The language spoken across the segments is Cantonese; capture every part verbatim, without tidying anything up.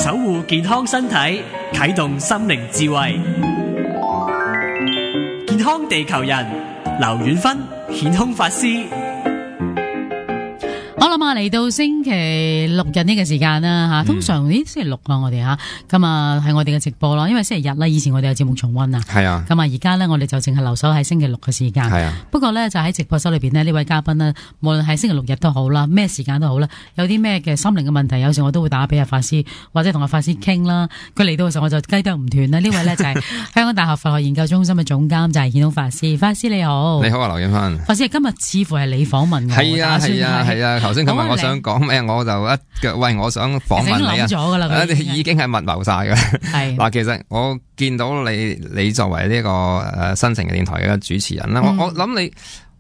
守護健康身體，啟動心靈智慧。健康地球人，劉遠芬顯空法師。好啦嘛，嚟到星期六日呢個時間啦吓，通常咦星期六啦我哋吓，咁啊係我哋嘅直播咯，因為星期日啦，以前我哋有節目重溫啊，係啊，咁啊而家咧我哋就淨係留守喺星期六嘅時間，係啊，不過咧就喺直播室裏邊呢，呢位嘉賓呢，無論係星期六日都好啦，咩時間都好啦，有啲咩嘅心靈嘅問題，有時我都會打俾阿法師或者同阿法師傾啦。佢嚟到嘅時候我就雞啄唔斷啦。呢位咧就係香港大學佛學研究中心嘅總監，就係顯空法師。法師你好，你好啊，劉遠芬。法師今日似乎係你訪問我，係啊係啊係啊，頭先佢問我想講咩，我就一腳喂，我想訪問你啊，已經諗咗㗎啦，已經係密謀晒㗎。係嗱，其實我見到你，你作為呢個誒新城嘅電台嘅主持人啦，我我諗你。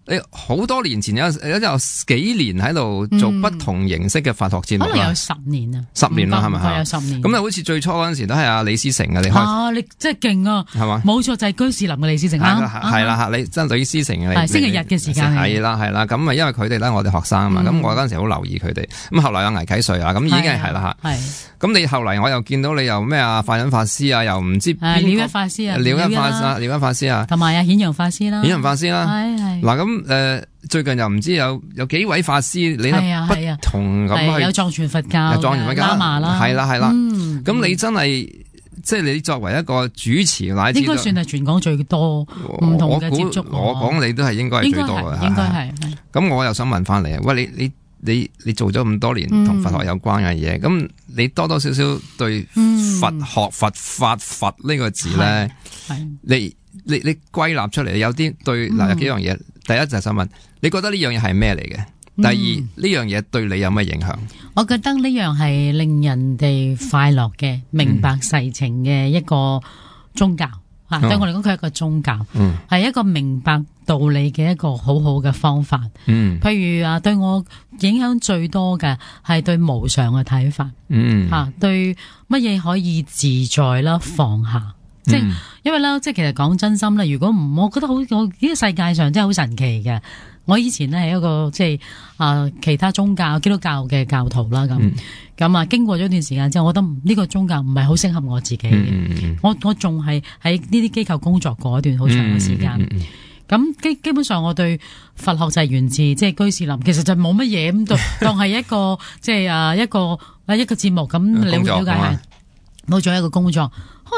你好多年前有有有幾年喺度做不同形式嘅佛學節目啦，可能有十年啊，十年啦係咪？係有十年。咁啊，好似最初嗰陣時都係阿李思成嘅，你開啊，你真係勁啊，係嘛？冇錯，就係居士林嘅李思成啦，係啦嚇，你真係李思成嘅。係星期日嘅時間。係啦係啦，咁啊，因為佢哋咧我哋學生啊嘛，咁我嗰陣時好留意佢哋。咁後來有倪啟瑞啊，咁已經係啦嚇。係。咁你後嚟我又見到你又咩啊？法忍法師啊，又唔知邊個？了一法師啊，了一法師，了一法師啊，同埋啊顯揚法師啦，顯揚法師啦。係係。嗱咁誒。最近又唔知有有幾位法師，你不同咁去有藏傳佛教、藏傳佛教喇嘛啦，係啦係啦。咁、嗯、你真係即係你作為一個主持，乃至應該算係全港最多唔同嘅接觸。我講你都係應該係最多嘅，應該係。咁我又想問翻你啊，喂，你你你你做咗咁多年同佛學有關嘅嘢，咁、嗯、你多多少少對佛學、佛法、佛呢個字咧，你你你歸納出嚟有啲對嗱有幾樣嘢。嗯第一就係想問，你覺得呢樣嘢係咩嚟嘅？第二呢、嗯、樣嘢對你有咩影響？我覺得呢樣係令人哋快樂嘅、明白世情嘅一個宗教吓、嗯啊。對我嚟講，佢係一個宗教，係、嗯、一個明白道理嘅一個好好嘅方法。嗯，譬如啊，對我影響最多嘅係對無常嘅睇法。嗯，吓、啊、對乜嘢可以自在啦，放下。即係、嗯，因為咧，即係其實講真心啦，如果唔，我覺得好，我呢個世界上真係好神奇嘅。我以前咧係一個即係啊、呃，其他宗教基督教嘅教徒啦，咁咁啊，經過咗一段時間之後，我覺得呢個宗教唔係好適合我自己嘅、嗯。我我仲係喺呢啲機構工作過一段好長嘅時間。咁、嗯嗯、基基本上，我對佛學就係源自即係居士林，其實就冇乜嘢咁，當當係一個即係啊一個啊一個節目咁，你會了解下，冇做一個工作。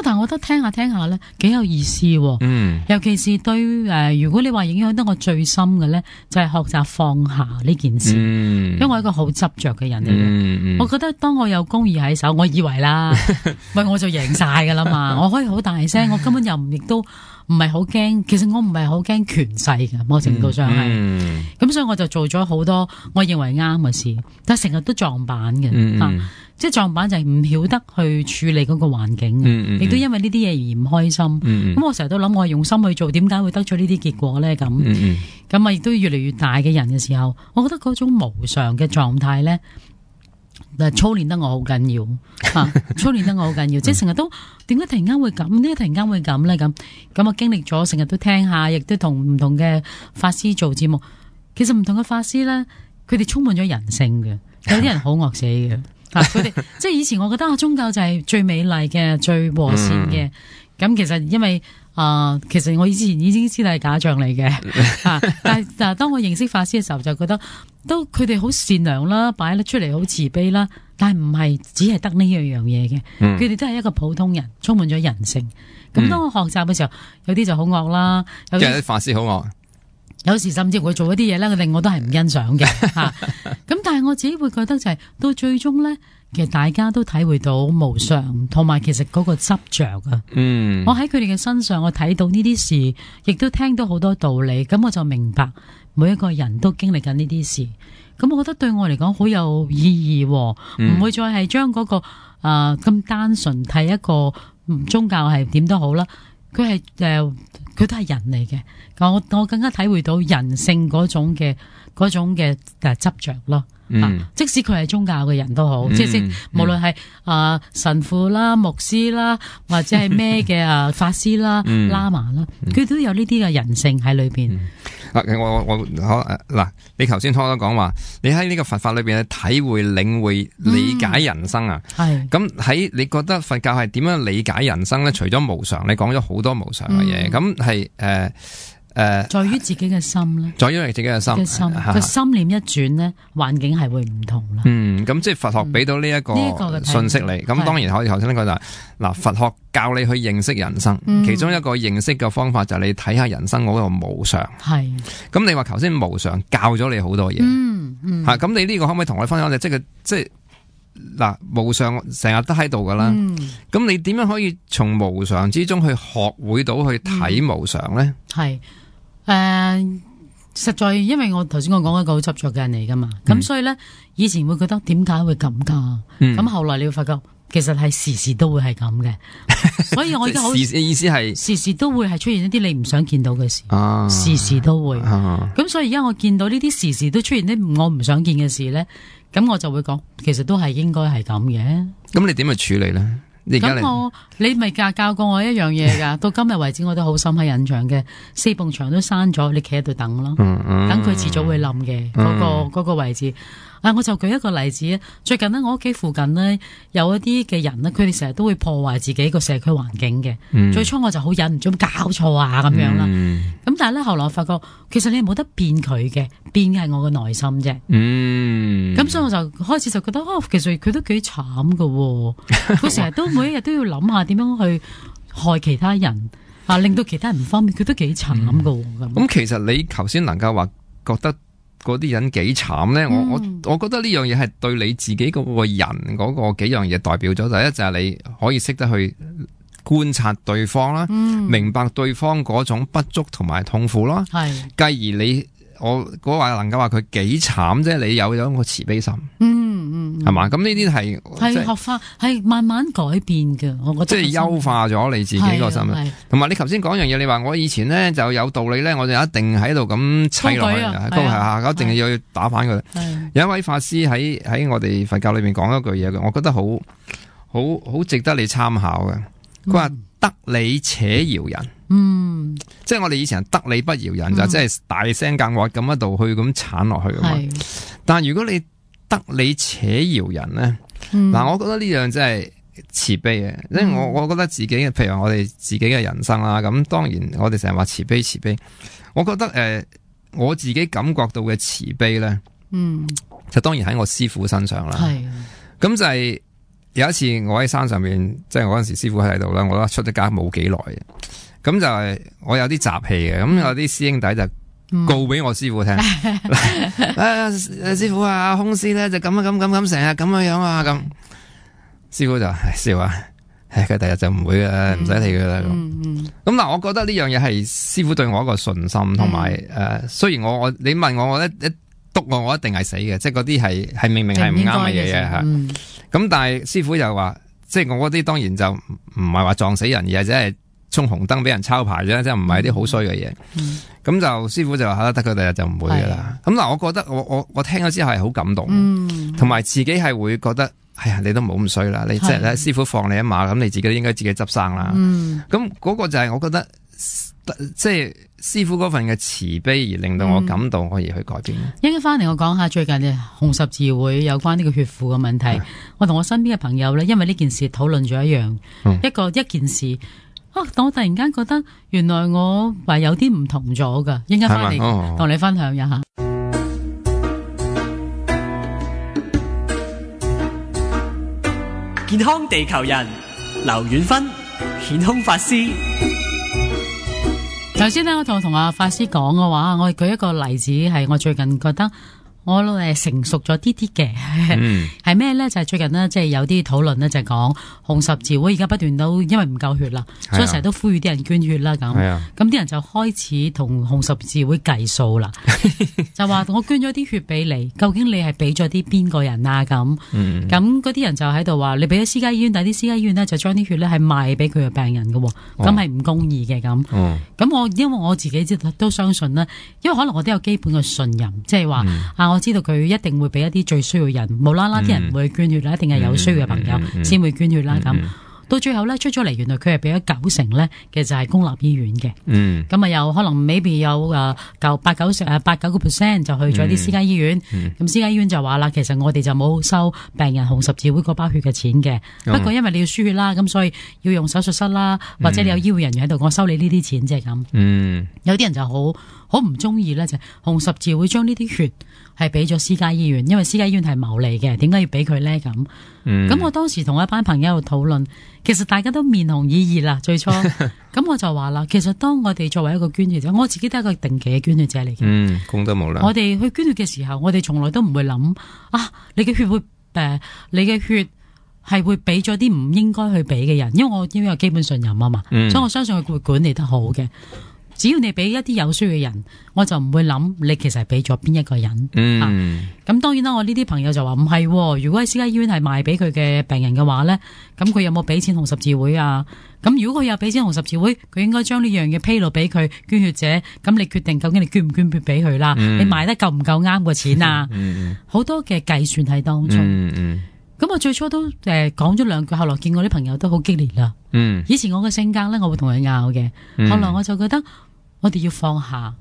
但係我覺得聽下聽下咧，幾有意思。嗯，尤其是對誒、呃，如果你話影響得我最深嘅咧，就係、是、學習放下呢件事。嗯，因為我係一個好執着嘅人嚟嘅、嗯。我覺得當我有公義喺手，我以為啦，喂，我就贏晒噶啦嘛。我可以好大聲，我根本又唔亦都唔係好驚。其實我唔係好驚權勢嘅，某程度上係。咁、嗯嗯、所以我就做咗好多我認為啱嘅事，但係成日都撞板嘅。嗯。啊即係撞板就係唔曉得去處理嗰個環境，亦、嗯嗯、都因為呢啲嘢而唔開心。咁、嗯嗯、我成日都諗，我係用心去做，點解會得出呢啲結果咧？咁咁啊，亦、嗯嗯、都越嚟越大嘅人嘅時候，我覺得嗰種無常嘅狀態咧，操練得我好緊要啊！操練得我好緊要，即係成日都點解突然間會咁？呢突然間會咁咧？咁咁我經歷咗，成日都聽下，亦都同唔同嘅法師做節目。其實唔同嘅法師咧，佢哋充滿咗人性嘅，有啲人好惡死嘅。啊！佢哋即係以前，我覺得啊，宗教就係最美麗嘅、最和善嘅。咁、嗯、其實因為啊、呃，其實我以前已經知道係假象嚟嘅。啊！但係但係當我認識法師嘅時候，就覺得都佢哋好善良啦，擺得出嚟好慈悲啦。但係唔係只係得呢樣樣嘢嘅，佢、嗯、哋都係一個普通人，充滿咗人性。咁、嗯、當我學習嘅時候，有啲就好惡啦，有啲法師好惡。有時甚至會做一啲嘢咧，令我都係唔欣賞嘅吓。咁但係我自己會覺得就係、是、到最終咧，其實大家都體會到無常，同埋其實嗰個執着啊。嗯，我喺佢哋嘅身上，我睇到呢啲事，亦都聽到好多道理。咁我就明白每一個人都經歷緊呢啲事。咁我覺得對我嚟講好有意義，唔、嗯、會再係將嗰個誒咁、呃、單純睇一個宗教係點都好啦。佢係誒，佢都係人嚟嘅。我我更加體會到人性嗰種嘅嗰種嘅誒執着咯。嗯啊、即使佢係宗教嘅人都好，嗯、即係、嗯、無論係啊、呃、神父啦、牧師啦，或者係咩嘅啊法師啦、嗯、喇嘛啦，佢、嗯、都有呢啲嘅人性喺裏邊。啊、嗯，我我嗱，你頭先初初講話，你喺呢個佛法裏邊嘅體會、領會、理解人生啊，係咁喺你覺得佛教係點樣理解人生咧？除咗無常，你講咗好多無常嘅嘢，咁係誒。誒、呃，在於自己嘅心咧，在於你自己嘅心，心個心念一轉咧，環境係會唔同啦。嗯，咁即係佛學俾到呢一個信息你，咁、嗯這個、當然可以頭先呢個就係、是、嗱，佛學教你去認識人生、嗯，其中一個認識嘅方法就係你睇下人生嗰個無常。係，咁你話頭先無常教咗你好多嘢，嗯嗯，吓、啊、咁你呢個可唔可以同我分享？即係即係嗱，無常成日都喺度噶啦，咁、嗯、你點樣可以從無常之中去學會到去睇無常咧？係、嗯。誒、呃，實在因為我頭先我講一個好執着嘅人嚟噶嘛，咁、嗯、所以咧以前會覺得點解會咁噶？咁、嗯、後來你會發覺其實係時時都會係咁嘅，所以我而家好意思係時時都會係出現一啲你唔想見到嘅事，啊、時時都會。咁、啊、所以而家我見到呢啲時時都出現啲我唔想見嘅事咧，咁我就會講，其實都係應該係咁嘅。咁你點去處理咧？咁我你咪教教過我一樣嘢噶，到今日為止我都好深刻印象嘅，四埲牆都閂咗，你企喺度等咯，等、嗯、佢遲早會冧嘅嗰個嗰、嗰個位置。啊！我就舉一個例子，最近呢，我屋企附近呢，有一啲嘅人呢，佢哋成日都會破壞自己個社區環境嘅、嗯。最初我就好忍唔住搞錯啊咁樣啦。咁、嗯、但係咧，後來我發覺其實你冇得變佢嘅，變嘅係我嘅內心啫。嗯。咁所以我就開始就覺得，哦，其實佢都幾慘噶。佢成日都每一日都要諗下點樣去害其他人啊，令到其他人唔方便，佢都幾慘噶。咁、嗯。咁其實你頭先能夠話覺得嗰啲人幾慘咧？我我我覺得呢樣嘢係對你自己嗰個人嗰個幾樣嘢代表咗。第一就係你可以識得去觀察對方啦、嗯，明白對方嗰種不足同埋痛苦啦。係，繼而你我嗰話能夠話佢幾慘啫，你有咗個慈悲心。嗯嗯，係嘛？咁呢啲係係學法，係慢慢改變嘅。我覺得即係優化咗你自己個心。同埋你頭先講樣嘢，你話我以前咧就有道理咧，我就一定喺度咁砌落去，高係啊，一定要打翻佢。有一位法師喺喺我哋佛教裏面講一句嘢嘅，我覺得好好好值得你參考嘅。佢話得理且饒人。嗯，即係我哋以前得理不饒人，嗯、就即係大聲更惡咁一度去咁鏟落去。但係如果你得理且饒人咧，嗱、嗯，我覺得呢樣真係慈悲嘅。因為我我覺得自己嘅，譬如我哋自己嘅人生啦，咁當然我哋成日話慈悲慈悲，我覺得誒、呃，我自己感覺到嘅慈悲咧，嗯，就當然喺我師父身上啦。係，咁就係有一次我喺山上面，即係我嗰陣時師父喺度啦，我覺得出咗家冇幾耐嘅。咁就係我有啲雜氣嘅，咁有啲師兄弟就告俾我師父聽，嗯、啊師父啊，空師咧就咁啊咁咁咁成日咁樣樣啊咁，師父就笑啊，唉佢第日就唔會嘅，唔使理佢啦咁。咁、嗯、嗱、嗯，我覺得呢樣嘢係師父對我一個信心，同埋誒，雖然我我你問我，我一一督我，我一定係死嘅，即係嗰啲係係明明係唔啱嘅嘢吓。咁、嗯、但係師父就話，即係我嗰啲當然就唔係話撞死人，而係只係衝紅燈俾人抄牌啫，即係唔係啲好衰嘅嘢。咁、嗯、就師父就話吓得佢第日就唔會噶啦。咁嗱，我覺得我我我聽咗之後係好感動，同、嗯、埋自己係會覺得，哎呀，你都冇咁衰啦。你即係咧，師父放你一馬，咁你自己都應該自己執生啦。咁、嗯、嗰個就係我覺得，即係師父嗰份嘅慈悲而令到我感動，可以去改變。一陣翻嚟我講下最近嘅紅十字會有關呢個血庫嘅問題。我同我身邊嘅朋友咧，因為呢件事討論咗一樣、嗯，一個一件事。啊！我突然間覺得，原來我話有啲唔同咗噶，應該翻嚟同你分享一下。健康地球人劉遠芬顯空法師。頭先呢，我同同阿法師講嘅話，我舉一個例子，係我最近覺得我誒成熟咗啲啲嘅，係咩咧？就係、是、最近呢，即係有啲討論呢，就係講紅十字會而家不斷都因為唔夠血啦，所以成日都呼籲啲人捐血啦。咁，咁啲人就開始同紅十字會計數啦，就話我捐咗啲血俾你，究竟你係俾咗啲邊個人啊？咁，咁嗰啲人就喺度話你俾咗私家醫院，但係啲私家醫院呢，就將啲血咧係賣俾佢嘅病人嘅，咁係唔公義嘅咁。咁、哦、我因為我自己都相信啦，因為可能我都有基本嘅信任，即係話啊我。我知道佢一定會俾一啲最需要人，無啦啦啲人唔會捐血啦，一定係有需要嘅朋友先會捐血啦咁。到最後咧出咗嚟，原來佢係俾咗九成咧，其實係公立醫院嘅。嗯，咁啊有可能 maybe 有誒九八九成誒八九個 percent 就去咗啲私家醫院。咁、嗯、私家醫院就話啦，其實我哋就冇收病人紅十字會嗰包血嘅錢嘅。嗯、不過因為你要輸血啦，咁所以要用手術室啦，或者你有醫護人員喺度，我收你呢啲錢啫咁。嗯，有啲人就好好唔中意咧，就係、紅十字會將呢啲血係俾咗私家醫院，因為私家醫院係牟利嘅，點解要俾佢咧咁？咁、嗯、我當時同一班朋友喺度討論，其實大家都面紅耳熱啦。最初，咁我就話啦，其實當我哋作為一個捐血者，我自己都係一個定期嘅捐血者嚟嘅。嗯，功德無量。我哋去捐血嘅時候，我哋從來都唔會諗啊，你嘅血會誒、呃，你嘅血係會俾咗啲唔應該去俾嘅人，因為我因為有基本信任啊嘛，嗯、所以我相信佢會管理得好嘅。只要你俾一啲有需要嘅人，我就唔會諗你其實係俾咗邊一個人。嗯，咁、啊、當然啦，我呢啲朋友就話唔係，如果喺私家醫院係賣俾佢嘅病人嘅話咧，咁佢有冇俾錢紅十字會啊？咁如果佢有俾錢紅十字會，佢應該將呢樣嘢披露俾佢捐血者，咁你決定究竟你捐唔捐血俾佢啦？嗯、你賣得夠唔夠啱個錢啊？好、嗯、多嘅計算喺當中。嗯嗯咁我最初都誒講咗兩句，後來見我啲朋友都好激烈啦。嗯，以前我嘅性格咧，我會同佢拗嘅。後來我就覺得我哋要放下。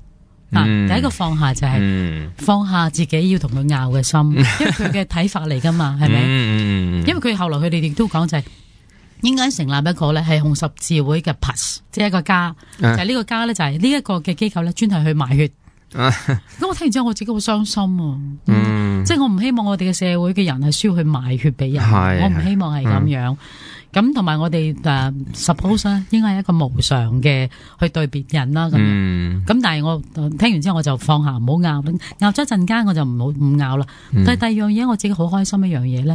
嗱、嗯，第一個放下就係放下自己要同佢拗嘅心，因為佢嘅睇法嚟噶嘛，係咪？嗯、因為佢後來佢哋亦都講就係應該成立一個咧係紅十字會嘅 Plus， 即係一個家，啊、就係呢個家咧就係呢一個嘅機構咧專係去賣血。咁、啊、我聽完之後我自己好傷心啊！嗯，即係我唔希望我哋嘅社會嘅人係需要去賣血俾人，我唔希望係咁樣。咁同埋我哋誒、uh, suppose 咧，應該係一個無償嘅去對別人啦。咁，咁、嗯、但係我聽完之後我就放下，唔好拗，拗咗一陣間我就唔好唔拗啦。嗯、但係第二樣嘢我自己好開心一樣嘢咧，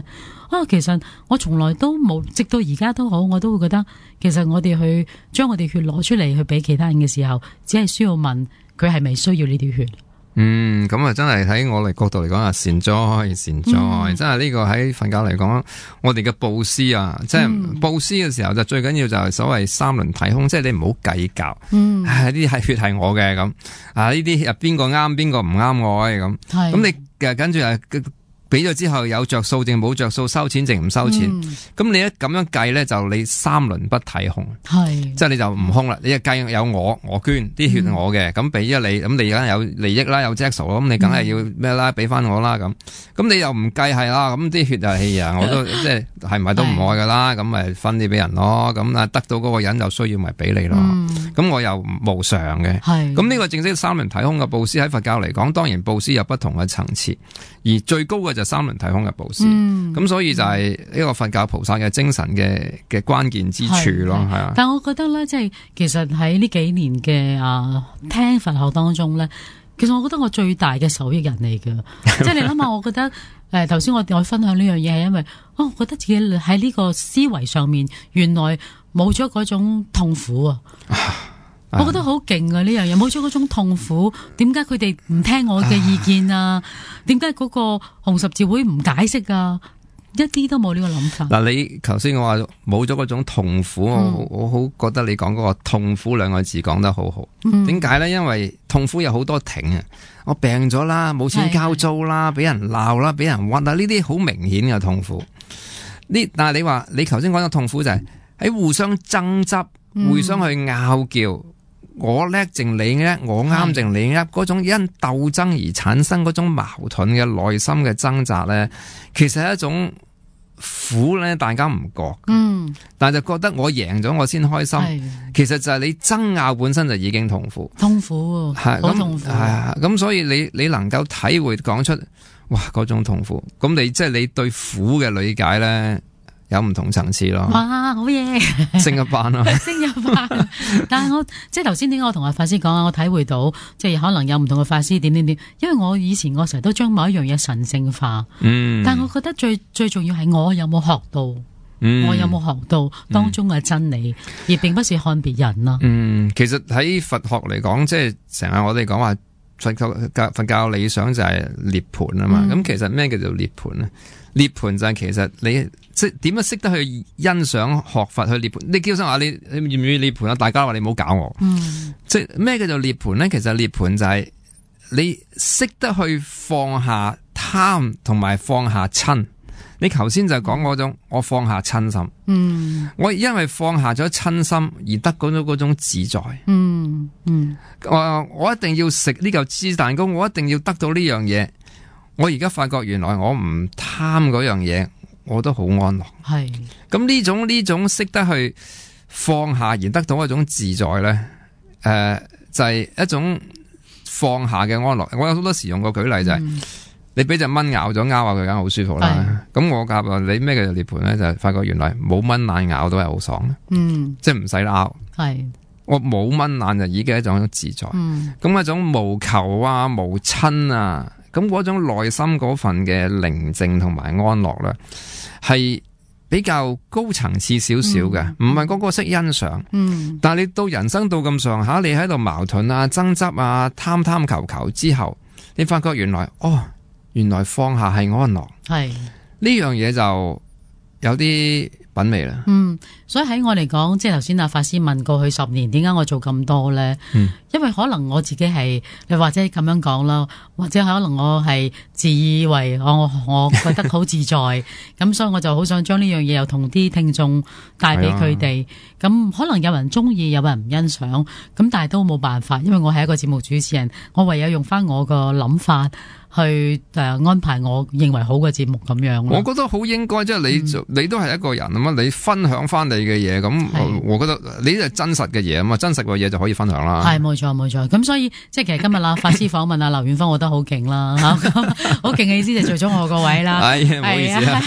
啊，其實我從來都冇，直到而家都好，我都會覺得其實我哋去將我哋血攞出嚟去俾其他人嘅時候，只係需要問佢係咪需要呢啲血。嗯，咁啊，真係喺我哋角度嚟講啊，善哉善哉，嗯、真係呢個喺佛教嚟講，我哋嘅布施啊，即係布施嘅時候就最緊要就係所謂三輪體空，即係你唔好計較，嗯，呢啲係血係我嘅咁，啊呢啲邊個啱邊個唔啱我嘅咁，係，咁你誒跟住啊。俾咗之後有着數定冇着數，收錢定唔收錢？咁、嗯、你一咁樣計咧，就你三輪不體空，係即係你就唔空啦。你一計有我我捐啲血我嘅，咁俾咗你，咁你而家有利益啦，有 Jack 數，咁你梗係要咩啦？俾翻我啦咁。咁你又唔計係啦，咁啲血就係啊，我都即係係咪都唔愛噶啦？咁咪分啲俾人咯。咁啊得到嗰個人就需要咪俾你咯。咁、嗯、我又無償嘅。係咁呢個正式三輪體空嘅布施喺佛教嚟講，當然布施有不同嘅層次，而最高嘅就三輪體空嘅布施，咁、嗯、所以就係呢個佛教菩薩嘅精神嘅嘅關鍵之處咯，係啊。但係我覺得咧，即係其實喺呢幾年嘅啊聽佛學當中咧，其實我覺得我最大嘅受益人嚟嘅，即係你諗下，我覺得誒頭先我我分享呢樣嘢係因為，哦，我覺得自己喺呢個思維上面，原來冇咗嗰種痛苦啊。我覺得好勁啊！呢樣嘢冇咗嗰種痛苦，點解佢哋唔聽我嘅意見啊？點解嗰個紅十字會唔解釋啊？一啲都冇呢個諗法。嗱，你頭先我話冇咗嗰種痛苦，嗯、我我好覺得你講嗰個痛苦兩個字講得好好。點解咧？因為痛苦有好多挺啊！我病咗啦，冇錢交租啦，俾人鬧啦，俾人屈啦，呢啲好明顯嘅痛苦。呢但係你話你頭先講嘅痛苦就係喺互相爭執、互相去拗撬。我叻定你叻，我啱定你啱，嗰種因鬥爭而產生嗰種矛盾嘅內心嘅掙扎咧，其實係一種苦咧，大家唔覺，嗯，但係就覺得我贏咗我先開心，的其實就係你爭拗本身就已經痛苦，痛苦係好痛苦，係啊，咁所以你你能夠體會講出哇嗰種痛苦，咁你即係、就是、你對苦嘅理解咧。有唔同層次咯，哇，好嘢，升一班咯，升一班。但係我即係頭先點解我同阿法師講啊？我體會到即係可能有唔同嘅法師點點點，因為我以前我成日都將某一樣嘢神聖化，嗯，但係我覺得最最重要係我有冇學到，嗯、我有冇學到當中嘅真理，嗯、而並不是看別人咯。嗯，其實喺佛學嚟講，即係成日我哋講話佛教佛教理想就係涅槃啊嘛。咁、嗯、其實咩叫做涅槃咧？涅槃就係其實你即係點樣識得去欣賞學佛去涅槃？你叫聲話你你願唔願意涅槃啊？大家話你唔好搞我。嗯，即係咩叫做涅槃咧？其實涅槃就係你識得去放下貪同埋放下親。你頭先就講嗰種，我放下親心，嗯，我因為放下咗親心而得到咗嗰種自在，嗯嗯，我我一定要食呢嚿芝士蛋糕，我一定要得到呢樣嘢。我而家發覺原來我唔貪嗰樣嘢，我都好安樂。係咁呢種呢種識得去放下而得到一種自在咧，誒、呃、就係、是、一種放下嘅安樂。我有好多時用個舉例就係、是。嗯你俾隻蚊咬咗，咬下佢梗係好舒服啦。咁我夾啊，你咩嘅涅槃咧，就係發覺原來冇蚊眼咬都係好爽嘅。嗯，即係唔使拗。係我冇蚊眼就已經係一種自在。嗯，咁一種無求啊、無親啊，咁嗰種內心嗰份嘅寧靜同埋安樂咧，係比較高層次少少嘅，唔係個個識欣賞。嗯，但係你到人生到咁上下，你喺度矛盾啊、爭執啊、貪貪求求之後，你發覺原來哦。原來放下係安樂，係呢樣嘢就有啲品味啦。嗯，所以喺我嚟講，即係頭先阿法師問過去十年，點解我做咁多咧？嗯，因為可能我自己係，你或者咁樣講啦，或者可能我係自以為我我覺得好自在，咁所以我就好想將呢樣嘢又同啲聽眾帶俾佢哋。咁可能有人中意，有人唔欣賞，咁但係都冇辦法，因為我係一個節目主持人，我唯有用翻我個諗法。去誒、呃、安排我認為好嘅節目咁樣，我覺得好應該，即係你、嗯、你都係一個人啊嘛，你分享翻你嘅嘢，咁我覺得你係真實嘅嘢啊嘛，真實嘅嘢就可以分享啦。係冇錯冇錯，咁所以即係其實今日啦，法師訪問阿劉遠芳，我覺得好勁啦嚇，好勁嘅意思就做咗我個位啦。係唔好意思啊，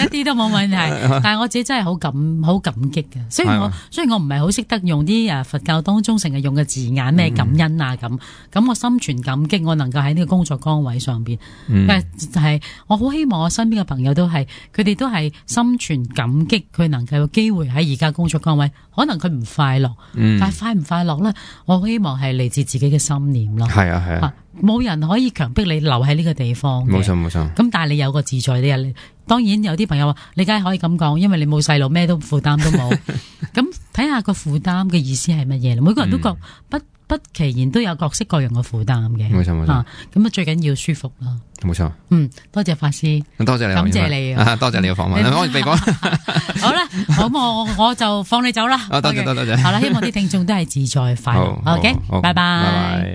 一啲都冇問題。但係我自己真係好感好感激嘅，雖然我雖然我唔係好識得用啲誒佛教當中成日用嘅字眼咩感恩啊咁，咁、嗯、我心存感激，我能夠喺呢個工作崗位上邊，嗯、但係就係我好希望我身邊嘅朋友都係，佢哋都係心存感激，佢能夠有機會喺而家工作崗位，可能佢唔快樂，嗯、但係快唔快樂咧？我好希望係嚟自自己嘅心念咯。係啊係啊，冇人可以強迫你留喺呢個地方。冇錯冇錯。咁但係你有個自在，你又當然有啲朋友話，你梗係可以咁講，因為你冇細路，咩都負擔都冇。咁睇下個負擔嘅意思係乜嘢？每個人都覺不。嗯不其然都有各式各樣嘅負擔嘅，冇錯冇錯。咁啊最緊要舒服啦，冇錯。嗯，多謝法師，多謝你，感謝你，多謝你嘅訪問。我哋講好啦，好我我就放你走啦。多謝多謝，好啦，希望啲聽眾都係自在快樂。OK，拜拜。